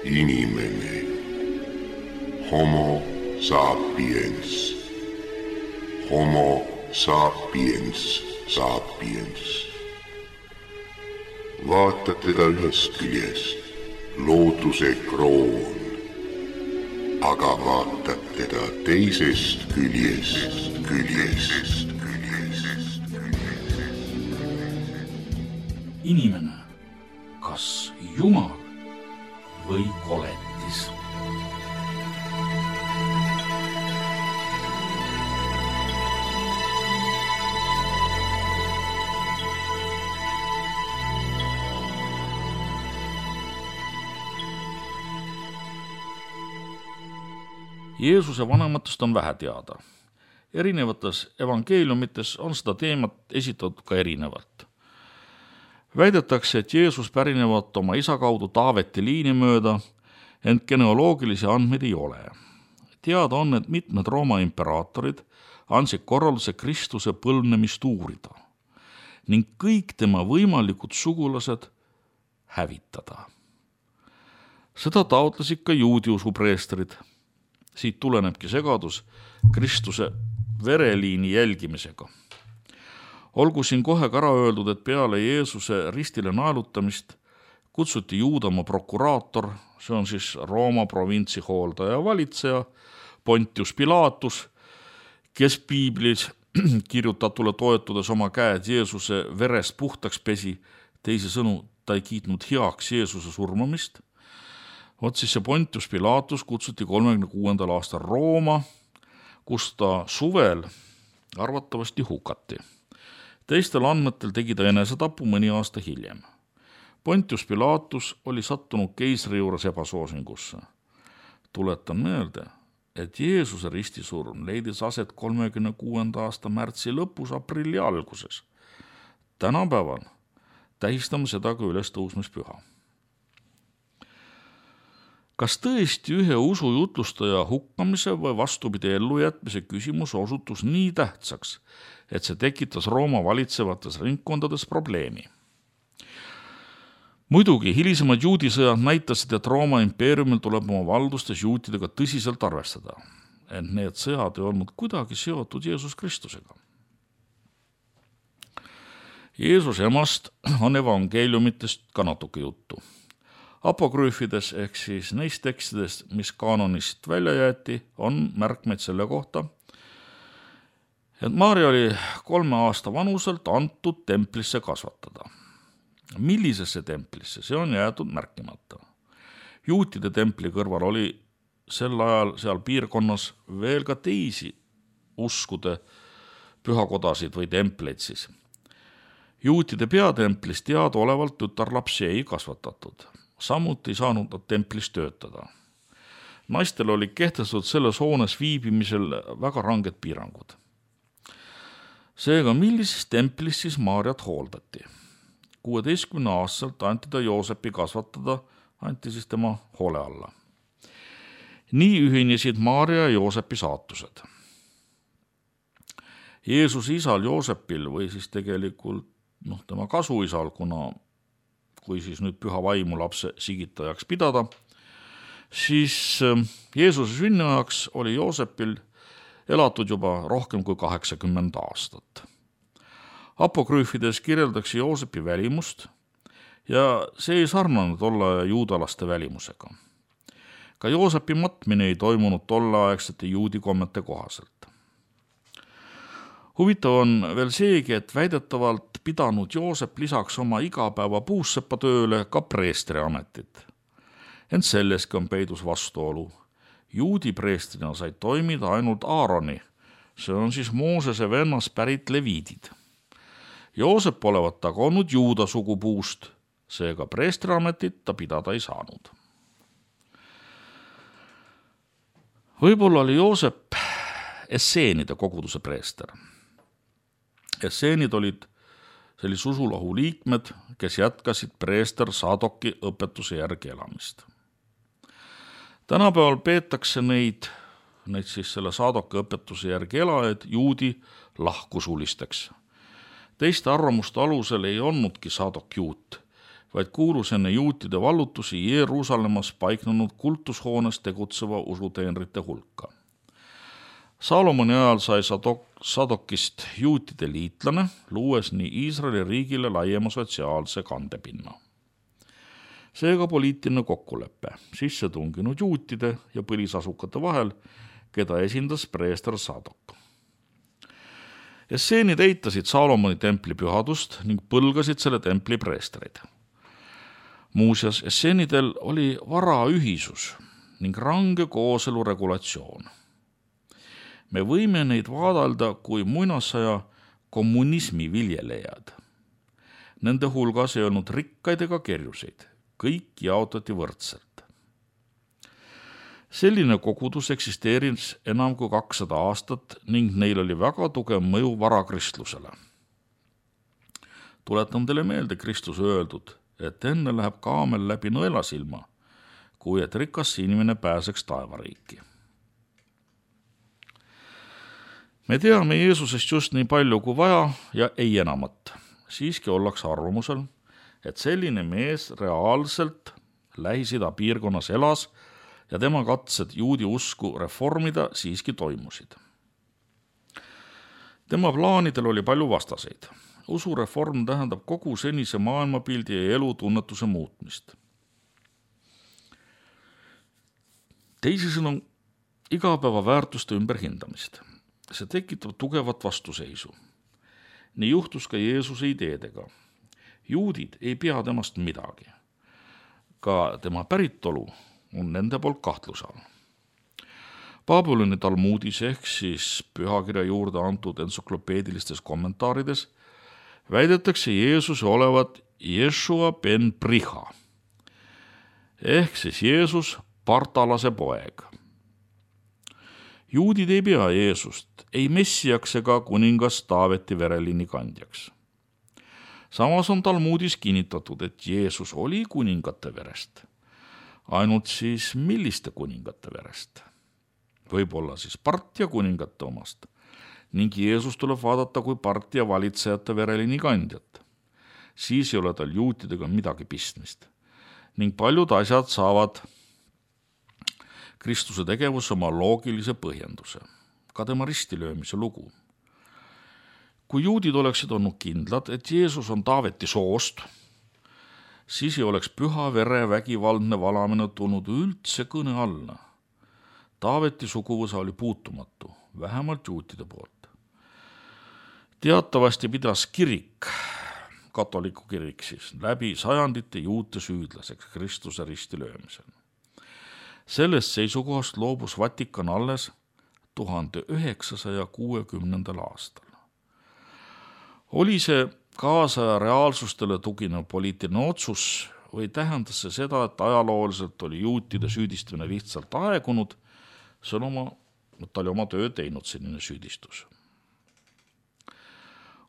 inimene, homo sapiens, homo sapiens sapiens. Vaatad teda ühest küljest, looduse kroon, aga vaatad teda teisest küljest. Inimene, kas Jumal või koletis? Jeesuse vanematest on vähe teada. Erinevates evangeeliumites on seda teemat esitatud ka erinevalt. Väidetakse, et Jeesus pärinevat oma isa kaudu Taaveti liini mööda, ent genealoogilisi andmeid ei ole. Teada on, et mitmed Rooma imperaatorid andsid korralduse Kristuse põlvnemist uurida ning kõik tema võimalikud sugulased hävitada. Seda taotlesid ka juudi usupreestrid. Siit tulenebki segadus Kristuse vereliini jälgimisega. Olgu siin kohe ka ära öeldud, et peale Jeesuse ristile naelutamist kutsuti Juudamaa prokuraator, see on siis Rooma provintsi hooldaja ja valitseja, Pontius Pilatus, kes piiblis kirjutatule toetudes oma käed Jeesuse verest puhtaks pesi, teisisõnu ta ei kiitnud heaks Jeesuse surmamist. Siis see Pontius Pilatus kutsuti 36. aastal Rooma, kus ta suvel arvatavasti hukati. Teistel andmetel tegi ta enesetapu mõni aasta hiljem. Pontius Pilatus oli sattunud keisri juures ebasoosingusse. Tuletan meelde, et Jeesuse ristisurm leidis aset 36. aasta märtsi lõpus, aprilli alguses. Tänapäeval tähistame seda ka ülestõusmispüha. Kas tõesti ühe usujutlustaja hukkamise või vastupidi ellujätmise küsimus osutus nii tähtsaks, et see tekitas Rooma valitsevates ringkondades probleemi? Muidugi hilisemad juudisõjad näitasid, et Rooma impeeriumil tuleb oma valdustes juutidega tõsiselt arvestada, ent need sõjad ei olnud kuidagi seotud Jeesus Kristusega. Jeesuse emast on evangeeliumitest ka natuke juttu. Apokrüüfides ehk siis neist tekstidest, mis kaanonist välja jäeti, on märkmeid selle kohta, et Maarja oli 3 aasta vanuselt antud templisse kasvatada. Millisesse templisse, see on jäetud märkimata. Juutide templi kõrval oli sel ajal seal piirkonnas veel ka teisi uskude pühakodasid või templeid siis. Juutide peatemplis teadaolevalt tütarlapsi ei kasvatatud. Samuti ei saanud nad templis töötada. Naistel oli kehtestatud selles hoones viibimisel väga ranged piirangud. Seega, millises templis siis Maarjat hooldati? 16 aastaselt anti ta Joosepi kasvatada, anti siis tema hoole alla. Nii ühinesid Maarja ja Joosepi saatused. Jeesuse isal Joosepil või siis tegelikult tema kasuisal, kui siis nüüd püha vaimu lapse sigitajaks pidada, siis Jeesuse sünniajaks oli Joosepil elatud juba rohkem kui 80 aastat. Apokrüüfides kirjeldatakse Joosepi välimust ja see ei sarnanud tolle juudalaste välimusega. Ka Joosepi matmine ei toimunud tolleaegsete juudi kommete kohaselt. Huvitav on veel seegi, et väidetavalt pidanud Joosep lisaks oma igapäeva puussepatööle ka preestri ametit. Ent selleski on peidus vastuolu. Juudi preestrina said toimida ainult Aaroni, see on siis Moosese vennas pärit leviidid. Joosep olevat aga olnud juuda sugupuust, seega preestri ametit ta pidada ei saanud. Võib-olla oli Joosep esseenide koguduse preester. Esseenid olid sellise usulahu liikmed, kes jätkasid preester Sadoki õpetuse järgi elamist. Tänapäeval peetakse neid siis selle Sadoki õpetuse järgi elajaid juudi lahkusulisteks. Teiste arvamuste alusel ei olnudki Sadok juut, vaid kuulus enne juutide vallutusi Jeruusalemmas paiknenud kultushoones tegutseva usuteenrite hulka. Salomoni ajal sai Sadokist juutide liitlane, luues nii Iisraeli riigile laiema sotsiaalse kandepinna. Seega poliitiline kokkulepe sisse tunginud juutide ja põlisasukate vahel, keda esindas preester Sadok. Esseenid eitasid Salomoni templi pühadust ning põlgasid selle templi preestreid. Muuseas, esseenidel oli varaühisus ning range kooselu regulatsioon. Me võime neid vaadelda kui muinasaja kommunismi viljelejad. Nende hulgas ei olnud rikkaid ega kerjuseid, kõik jaotati võrdselt. Selline kogudus eksisteeris enam kui 200 aastat ning neil oli väga tugev mõju varakristlusele. Tuletan teile meelde Kristuse öeldud, et enne läheb kaamel läbi nõelasilma, kui et rikas inimene pääseks taevariiki. Me teame Jeesusest just nii palju kui vaja ja ei enamat. Siiski ollakse arvamusel, et selline mees reaalselt Lähis-Ida piirkonnas elas ja tema katsed juudi usku reformida siiski toimusid. Tema plaanidel oli palju vastaseid. Usureform tähendab kogu senise maailmapildi ja elutunnetuse muutmist. Teisisõnu igapäeva väärtuste ümberhindamist. See tekitab tugevat vastuseisu. Nii juhtus ka Jeesuse ideedega. Juudid ei pea temast midagi. Ka tema päritolu on nende poolt kahtluse all. Babyloni Talmudis ehk siis pühakirja juurde antud entsüklopeedilistes kommentaarides väidetakse Jeesuse olevat Jeshua ben Priha ehk siis Jeesus Partalase poeg. Juudid ei pea Jeesust ei messiaks ega kuningas Taaveti vereliini kandjaks. Samas on Talmudis kinnitatud, et Jeesus oli kuningate verest. Ainult siis milliste kuningate verest? Võib-olla siis Partia kuningate omast ning Jeesus tuleb vaadata kui Partia valitsejate vereliini kandjat. Siis ei ole tal juutidega midagi pistmist ning paljud asjad saavad Kristuse tegevus oma loogilise põhjenduse, ka tema ristilöömise lugu. Kui juudid oleksid olnud kindlad, et Jeesus on Taaveti soost, siis ei oleks püha vere vägivaldne valamine tulnud üldse kõne alla. Taaveti suguvõsa oli puutumatu, vähemalt juutide poolt. Teatavasti pidas kirik, katoliku kirik siis, läbi sajandite juute süüdlaseks Kristuse ristilöömisel. Sellest seisukohast loobus Vatikan alles 1960. aastal. Oli see kaasaja reaalsustele tuginev poliitiline otsus või tähendas see seda, et ajalooliselt oli juutide süüdistamine lihtsalt aegunud, ta oli oma töö teinud selline süüdistus.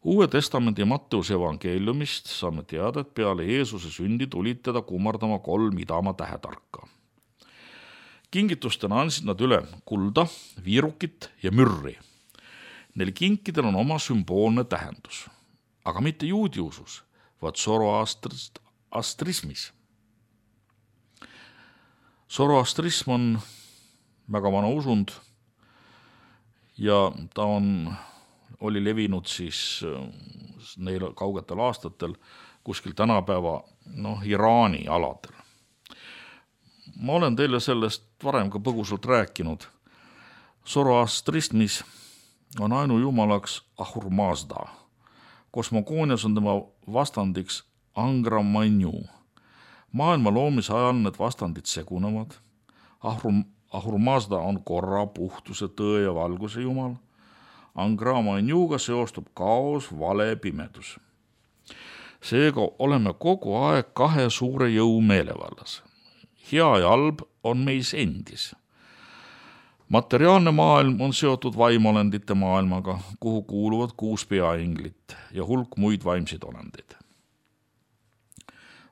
Uue testamendi Matteuse evangeeliumist saame teada, et peale Jeesuse sündi tulid teda kummardama 3 idamaa tähetarka. Kingitustena andsid nad üle kulda, viirukit ja mürri. Neil kinkidel on oma sümboolne tähendus, aga mitte juudi usus, vaid zoroastrismis. Zoroastrism on väga vana usund ja ta oli levinud siis neil kaugetel aastatel kuskil tänapäeva Iraani aladel. Ma olen teile sellest varem ka põgusalt rääkinud. Zoroastrismis on ainujumalaks Ahur Mazda. Kosmogoonias on tema vastandiks Angra Mainyu. Maailma loomise ajal need vastandid segunevad. Ahur Mazda on korra, puhtuse, tõe ja valguse jumal. Angra Mainyuga seostub kaos, vale, pimedus. Seega oleme kogu aeg 2 suure jõu meelevallas. Hea ja halb on meis endis. Materiaalne maailm on seotud vaimolendite maailmaga, kuhu kuuluvad 6 peainglit ja hulk muid vaimseid olendeid.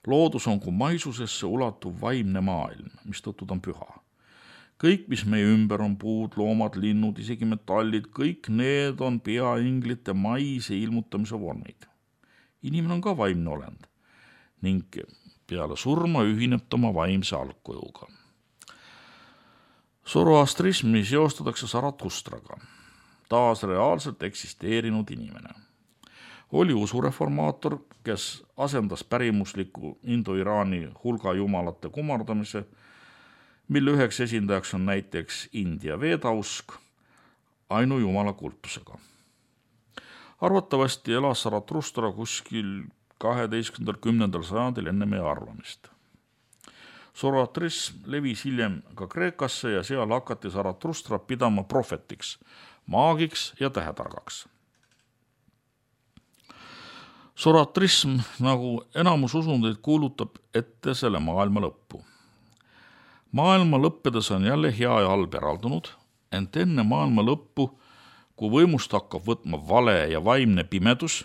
Loodus on kui maisusesse ulatuv vaimne maailm, mistõttu ta on püha. Kõik, mis meie ümber on, puud, loomad, linnud, isegi metallid, kõik need on peainglite maise ilmutamise vormid. Inimene on ka vaimne olend ning peale surma ühineb ta oma vaimse algkujuga. Zoroastrismi seostatakse Zaratustraga, taas reaalselt eksisteerinud inimene. Oli usureformaator, kes asendas pärimusliku Indo-Iraani hulga jumalate kummardamise, mille üheks esindajaks on näiteks India veedausk, ainujumala kultusega. Arvatavasti elas Zaratustra kuskil 12.–10. sajandil enne meie arvamist. Zoroastrism levis hiljem ka Kreekasse ja seal hakati Zaratustra pidama prohvetiks, maagiks ja tähetargaks. Zoroastrism, nagu enamus usundeid, kuulutab ette selle maailma lõppu. Maailma lõppedes on jälle hea ja halb eraldunud, ent enne maailma lõppu, kui võimust hakkab võtma vale ja vaimne pimedus,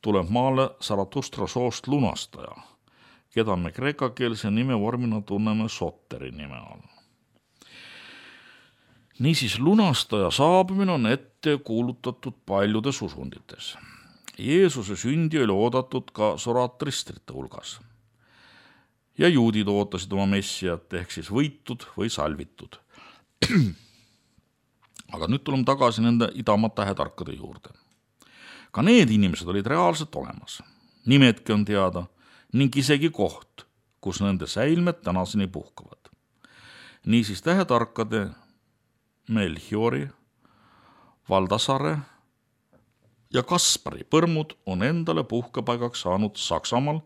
tuleb maale Zaratustra soost lunastaja, keda me kreekakeelse nimevormina tunneme Soteri nime all. Niisiis, lunastaja saabumine on ette kuulutatud paljudes usundites. Jeesuse sündi oli oodatud ka zoroastristrite hulgas. Ja juudid ootasid oma messiat ehk siis võitud või salvitud. Aga nüüd tuleme tagasi nende idamaa tähetarkade juurde. Ka need inimesed olid reaalselt olemas. Nimedki on teada ning isegi koht, kus nende säilmed tänaseni puhkavad. Niisiis tähetarkade Melchiori, Valdasare ja Kaspari põrmud on endale puhkepaigaks saanud Saksamaal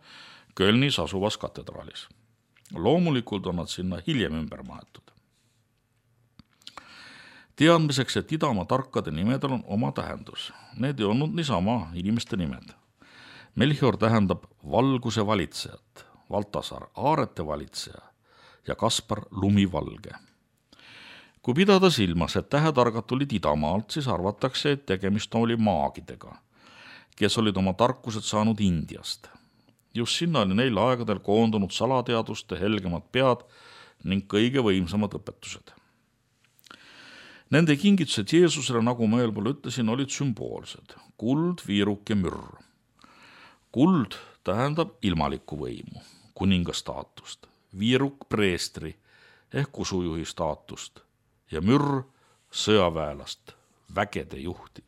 Kölnis asuvas katedraalis. Loomulikult on nad sinna hiljem ümber maetud. Teadmiseks, et idamaa tarkade nimedel on oma tähendus. Need ei olnud niisama inimeste nimed. Melchior tähendab valguse valitsejat, Valtasar aarete valitseja ja Kaspar lumivalge. Kui pidada silmas, et tähetargad tulid idamaalt, siis arvatakse, et tegemist oli maagidega, kes olid oma tarkused saanud Indiast. Just sinna oli neil aegadel koondunud salateaduste helgemad pead ning kõige võimsamad õpetused. Nende kingitused Jeesusele, nagu ma eelpool ütlesin, olid sümboolsed. Kuld, viiruk ja mürr. Kuld tähendab ilmalikku võimu, kuninga staatust, viiruk preestri ehk usujuhi staatust ja mürr sõjaväelast, vägede juhti.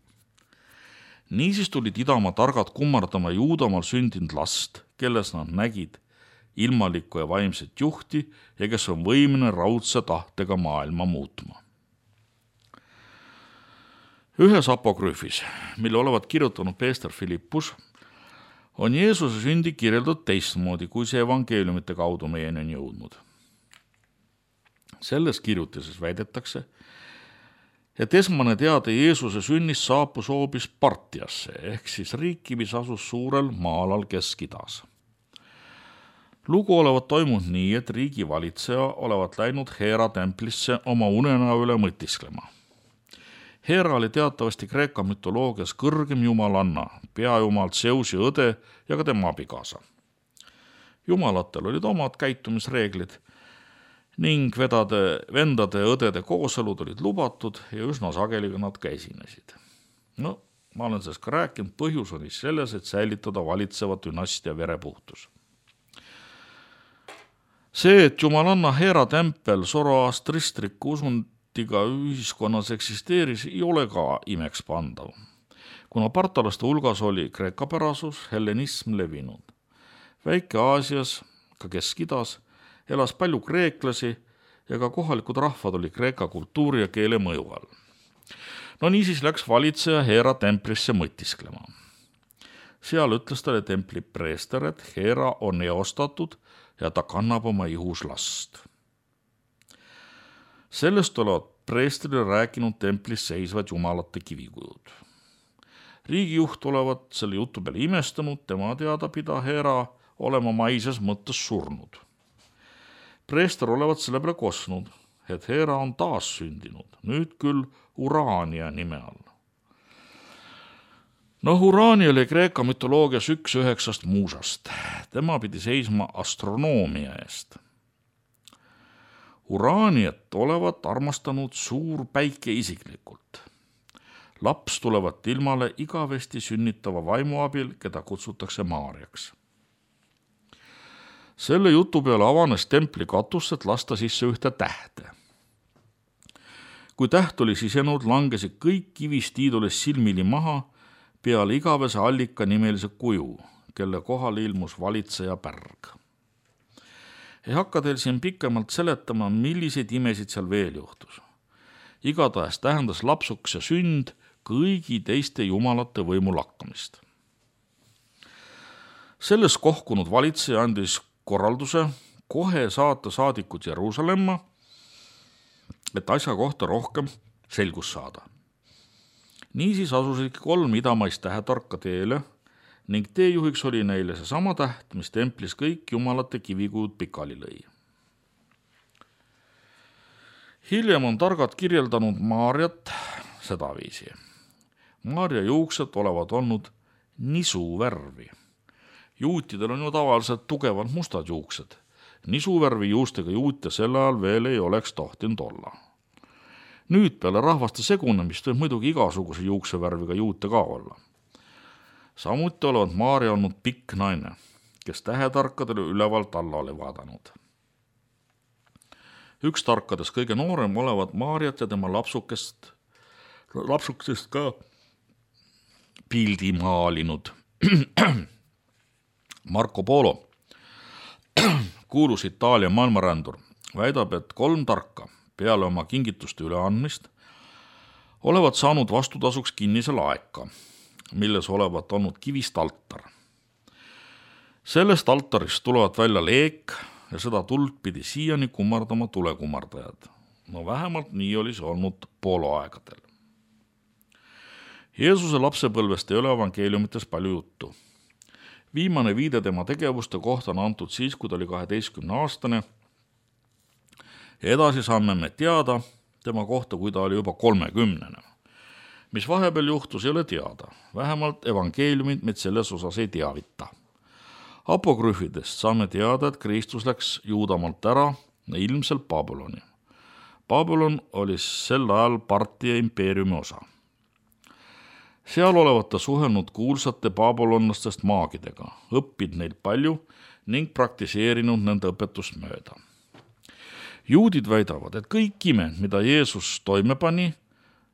Niisiis tulid idamaa targad kummardama Juudamaal sündinud last, kelles nad nägid ilmalikku ja vaimset juhti ja kes on võimeline raudse tahtega maailma muutma. Ühes apokrüüfis, mille olevat kirjutanud Peester Philippus, on Jeesuse sündi kirjeldatud teistmoodi, kui see evangeeliumite kaudu meieni on jõudnud. Selles kirjutises väidetakse, et esmane teade Jeesuse sünnist saapus hoopis Partiasse ehk siis riiki, mis asus suurel maalal Kesk-Idas. Lugu olevat toimunud nii, et riigi valitseja olevat läinud Heera templisse oma unenäo üle mõtisklema. Heera oli teatavasti Kreeka mütoloogias kõrgem jumalanna, peajumal Zeusi õde ja ka tema abikaasa. Jumalatel olid omad käitumisreeglid ning vendade ja õdede kooselud olid lubatud ja üsna sageli nad ka esinesid. No, ma olen sellest ka rääkinud, põhjus oli selles, et säilitada valitseva dünastia verepuhtus. See, et jumalanna Heera tempel zoroastristriku usundiga ühiskonnas eksisteeris, ei ole ka imeks pandav, kuna partalaste hulgas oli kreekapärasus, hellenism levinud. Väike-Aasias, ka Kesk-Idas, elas palju kreeklasi ja ka kohalikud rahvad oli kreeka kultuuri ja keele mõju all. No niisiis läks valitseja Heera templisse mõtisklema. Seal ütles talle templi preester, et Heera on eostatud ja ta kannab oma ihus last. Sellest olevat preestrile rääkinud templis seisvad jumalate kivikujud. Riigijuht olevat selle jutu peale imestanud, tema teada pida Heera olema maises mõttes surnud. Preester olevat selle peale kosnud, et Heera on taas sündinud, nüüd küll Urania nime all. Urania oli Kreeka mütoloogias 1/9 muusast. Tema pidi seisma astronoomia eest. Uraniat olevat armastanud suur päike isiklikult. Laps tulevat ilmale igavesti sünnitava vaimu abil, keda kutsutakse Maariaks. Selle jutu peale avanes templi katus, et lasta sisse ühte tähte. Kui täht oli sisenud, langesid kõik kivist iidules silmili maha peale igavese allika nimelise kuju, kelle kohale ilmus valitseja pärg. Ei hakka teil siin pikemalt seletama, milliseid imesid seal veel juhtus. Igatahes tähendas lapsukese sünd kõigi teiste jumalate võimu lakkamist. Selles kohkunud valitseja andis korralduse kohe saata saadikud Jeruusalemma, et asja kohta rohkem selgust saada. Niisiis asusid 3 idamaist tähetarka teele ning teejuhiks oli neile seesama täht, mis templis kõik jumalate kivikujud pikali lõi. Hiljem on targad kirjeldanud Maarjat sedaviisi. Maarja juuksed olevat olnud nisuvärvi. Juutidel on ju tavaliselt tugevad mustad juuksed. Nisuvärvi juustega juute sel ajal veel ei oleks tohtinud olla. Nüüd peale rahvaste segunemist võib muidugi igasuguse juuksevärviga juute ka olla. Samuti olevat Maarja olnud pikk naine, kes tähetarkadele ülevalt alla oli vaadanud. Üks tarkadest kõige noorem olevat Maarjat ja tema lapsukest ka pildi maalinud. Marco Polo, kuulus Itaalia maailmarändur, väidab, et 3 tarka peale oma kingituste üleandmist olevat saanud vastutasuks kinnise laeka, milles olevat olnud kivist altar. Sellest altarist tulevat välja leek ja seda tuld pidi siiani kummardama tulekummardajad. No vähemalt nii oli see olnud Polo aegadel. Jeesuse lapsepõlvest ei ole evangeeliumites palju juttu. Viimane viide tema tegevuste kohta on antud siis, kui ta oli 12-aastane. Edasi saame me teada tema kohta, kui ta oli juba 30. Mis vahepeal juhtus, ei ole teada. Vähemalt evangeeliumid meid selles osas ei teavita. Apokrüfidest saame teada, et Kristus läks Juudamaalt ära ilmselt Babyloni. Babylon oli sel ajal Partia impeeriumi osa. Seal olevat ta suhelnud kuulsate babylonlastest maagidega, õppinud neid palju ning praktiseerinud nende õpetust mööda. Juudid väidavad, et kõik imed, mida Jeesus toime pani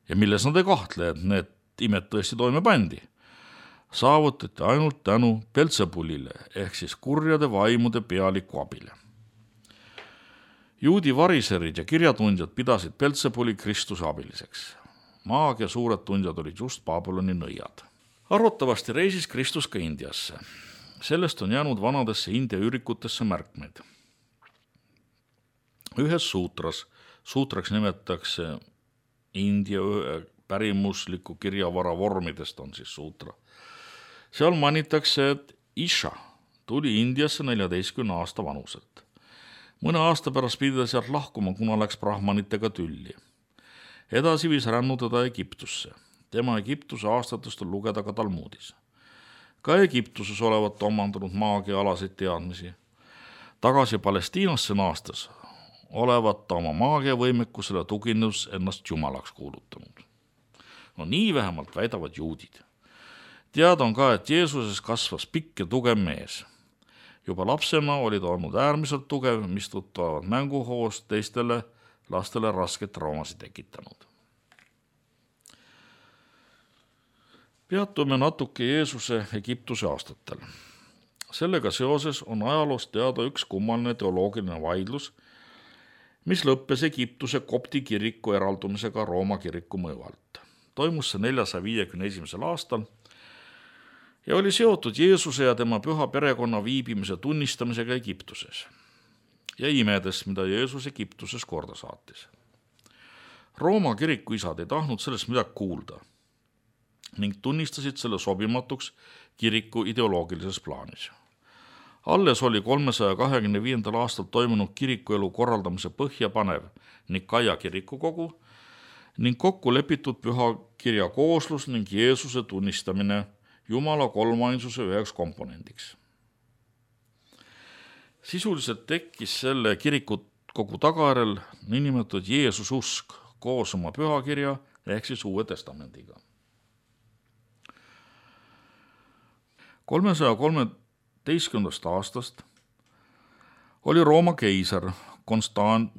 ja milles nad ei kahtle, et need imed tõesti toime pandi, saavutati ainult tänu Belzebulile ehk siis kurjade vaimude pealiku abile. Juudi variserid ja kirjatundjad pidasid Belzebuli Kristuse abiliseks. Maagia suured tundjad olid just Babyloni nõiad. Arvatavasti reisis Kristus ka Indiasse. Sellest on jäänud vanadesse India ürikutesse märkmeid. Ühes suutraks nimetatakse India pärimusliku kirjavara vormidest on siis suutra. Seal mainitakse, et Isha tuli Indiasse 14 aasta vanuselt. Mõne aasta pärast pidi ta sealt lahkuma, kuna läks brahmanitega tülli. Edasi viis rännu teda Egiptusse. Tema Egiptuse aastatest on lugeda ka Talmudis. Ka Egiptuses olevat omandanud maagiaalaseid teadmisi. Tagasi Palestiinasse naastes olevat ta oma maagiavõimekusele tuginus ennast jumalaks kuulutanud. No nii vähemalt väidavad juudid. Teada on ka, et Jeesuses kasvas pikk ja tugev mees. Juba lapsena oli ta olnud äärmiselt tugev, mistõttu olevat mänguhoos teistele lastele rasket traumasid tekitanud. Peatume natuke Jeesuse Egiptuse aastatel. Sellega seoses on ajaloost teada üks kummaline teoloogiline vaidlus, mis lõppes Egiptuse kopti kiriku eraldumisega Rooma kiriku mõju alt. Toimus see 451. aastal ja oli seotud Jeesuse ja tema püha perekonna viibimise tunnistamisega Egiptuses ja imedes, mida Jeesus Egiptuses korda saatis. Rooma kirikuisad ei tahtnud sellest midagi kuulda ning tunnistasid selle sobimatuks kiriku ideoloogilises plaanis. Alles oli 325. aastal toimunud kirikuelu korraldamise põhjapanev Nikaia kirikukogu ning kokku lepitud püha kirja kooslus ning Jeesuse tunnistamine Jumala kolmainsuse üheks komponendiks. Sisuliselt tekkis selle kirikukogu tagajärjel niinimetatud Jeesususk koos oma pühakirja ehk siis Uue Testamendiga. 313. aastast oli Rooma keiser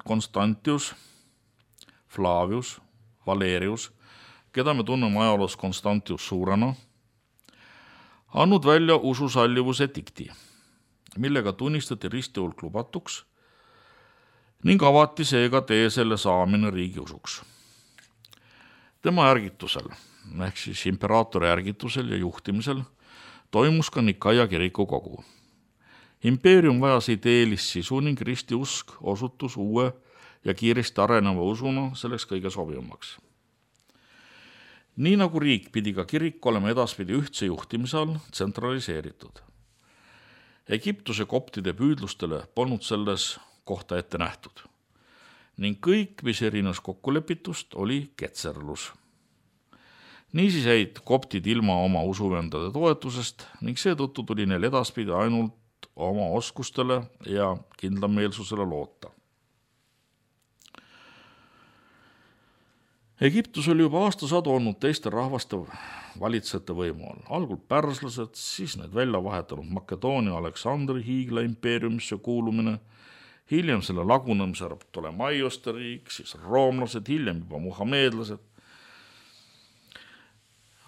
Constantius Flavius Valerius, keda me tunneme ajaloos Constantius Suurena, andnud välja ususallivuse dikti, millega tunnistati ristihulk lubatuks ning avati seega tee selle saamine riigiusuks. Tema ärgitusel, ehk siis imperaatori ärgitusel ja juhtimisel, toimus ka Nikaia kirikukogu. Impeerium vajas ideelist sisu ning ristiusk osutus uue ja kiiresti areneva usuna selleks kõige sobivamaks. Nii nagu riik pidi ka kirik olema edaspidi ühtse juhtimise all tsentraliseeritud. Egiptuse koptide püüdlustele polnud selles kohta ette nähtud ning kõik, mis erines kokkulepitust, oli ketserlus. Niisiis jäid koptid ilma oma usuvendade toetusest ning seetõttu tuli neil edaspidi ainult oma oskustele ja kindlameelsusele loota. Egiptus oli juba aastasadu olnud teiste rahvaste valitsejate võimu all. Algul pärslased, siis need välja vahetanud Makedoonia Aleksandri hiigla impeeriumisse kuulumine, hiljem selle lagunemise Ptolemaiuste riik, siis roomlased, hiljem juba muhameedlased.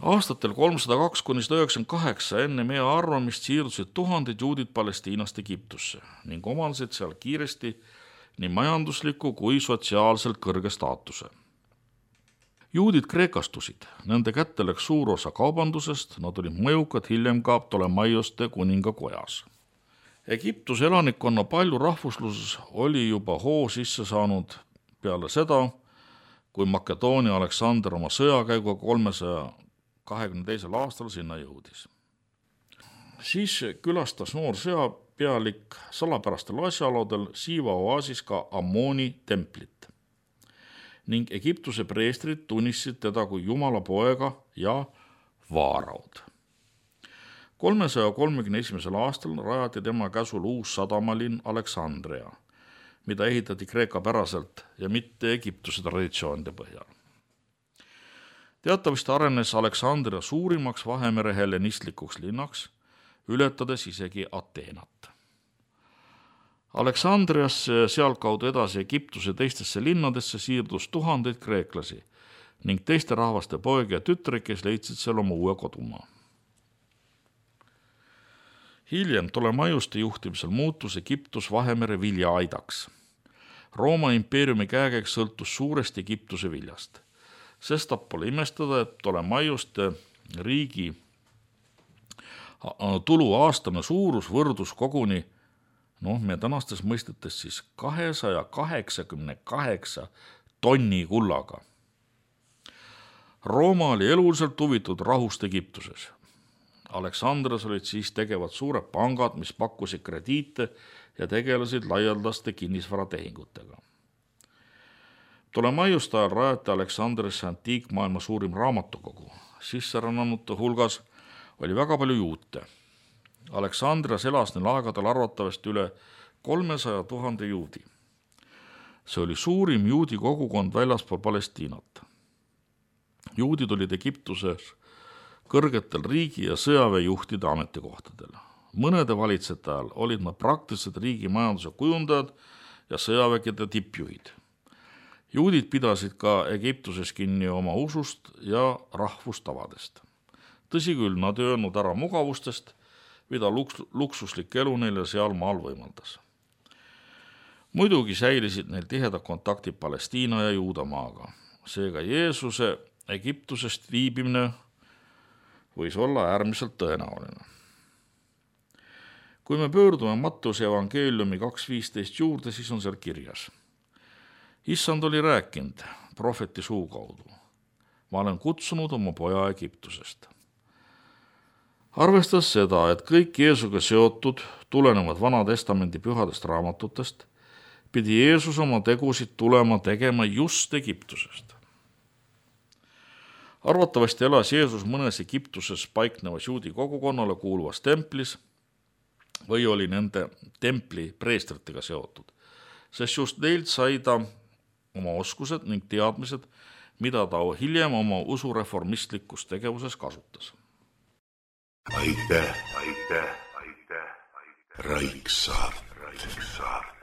Aastatel 302–198 enne meie arvamist siirdusid tuhanded juudid Palestiinast Egiptusse ning omandasid seal kiiresti nii majandusliku kui sotsiaalselt kõrge staatuse. Juudid kreekastusid, nende kätte läks suur osa kaubandusest, nad olid mõjukad hiljem ka Ptolemaiuste kuninga kojas. Egiptuse elanikkonna palju rahvusluses oli juba hoo sisse saanud peale seda, kui Makedoonia Aleksander oma sõjakäiguga 322. aastal sinna jõudis. Siis külastas noor sõjapealik salapärastel asjaoludel Siiva oaasis ka Ammoni templit ning Egiptuse preestrid tunnistasid teda kui Jumala poega ja vaaraud. 331. aastal rajati tema käsul uus sadamalinn Aleksandria, mida ehitati Kreeka päraselt ja mitte Egiptuse traditsioonide põhjal. Teatavasti arenes Aleksandria suurimaks Vahemere hellenistlikuks linnaks, ületades isegi Ateenat. Aleksandriasse sealtkaudu edasi Egiptuse teistesse linnadesse siirdus tuhandeid kreeklasi ning teiste rahvaste poegi ja tütreid, kes leidsid seal oma uue kodumaa. Hiljem Ptolemaiuste juhtimisel muutus Egiptus Vahemere viljaaidaks. Rooma impeeriumi käekäik sõltus suuresti Egiptuse viljast. Sestap pole imestada, et Ptolemaiuste riigi tulu aastane suurus võrdus koguni meie tänastes mõistetes siis 288 tonni kullaga. Rooma oli eluliselt huvitud rahust Egiptuses. Aleksandrias olid siis tegevad suured pangad, mis pakkusid krediite ja tegelesid laialdaste kinnisvaratehingutega. Ptolemaiuste ajal rajati Aleksandriasse antiikmaailma suurim raamatukogu. Sisserännanute hulgas oli väga palju juute. Aleksandrias elas neil aegadel arvatavasti üle 300 000 juudi. See oli suurim juudi kogukond väljaspool Palestiinat. Juudid olid Egiptuses kõrgetel riigi- ja sõjaväejuhtide ametikohtadel. Mõnede valitsejate ajal olid nad praktiliselt riigi majanduse kujundajad ja sõjavägede tippjuhid. Juudid pidasid ka Egiptuses kinni oma usust ja rahvustavadest. Tõsi küll, nad ei öelnud ära mugavustest, mida luksuslik elu neile seal maal võimaldas. Muidugi säilisid neil tihedad kontaktid Palestiina ja Juudamaaga. Seega Jeesuse Egiptusest viibimine võis olla äärmiselt tõenäoline. Kui me pöördume Matteuse evangeeliumi 2.15 juurde, siis on seal kirjas. Issand oli rääkinud prohveti suu kaudu. Ma olen kutsunud oma poja Egiptusest. Arvestades seda, et kõik Jeesuga seotud tulenevad Vana Testamendi pühadest raamatutest, pidi Jeesus oma tegusid tulema tegema just Egiptusest. Arvatavasti elas Jeesus mõnes Egiptuses paiknevas juudi kogukonnale kuuluvas templis või oli nende templi preestritega seotud, sest just neilt sai ta oma oskused ning teadmised, mida ta hiljem oma usureformistlikus tegevuses kasutas. Aitäh, Raiksaar. kaitseks saab.